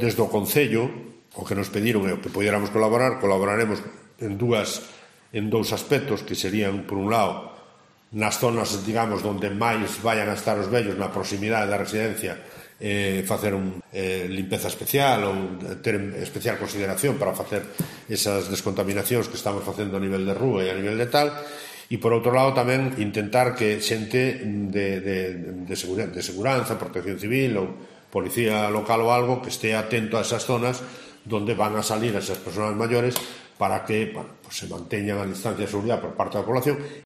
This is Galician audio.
Desde o Concello, o que nos pediron é o que pudiéramos colaboraremos en dous aspectos, que serían, por un lado, nas zonas, digamos, onde máis vayan a estar os vellos, na proximidade da residencia, facer limpeza especial ou ter especial consideración para facer esas descontaminacións que estamos facendo a nivel de rúa e a nivel de tal, e por outro lado tamén intentar que xente de seguranza, protección civil ou policía local ou algo que este atento a esas zonas donde van a salir esas persoas maiores para que se manteñan a distancia de seguridade por parte da población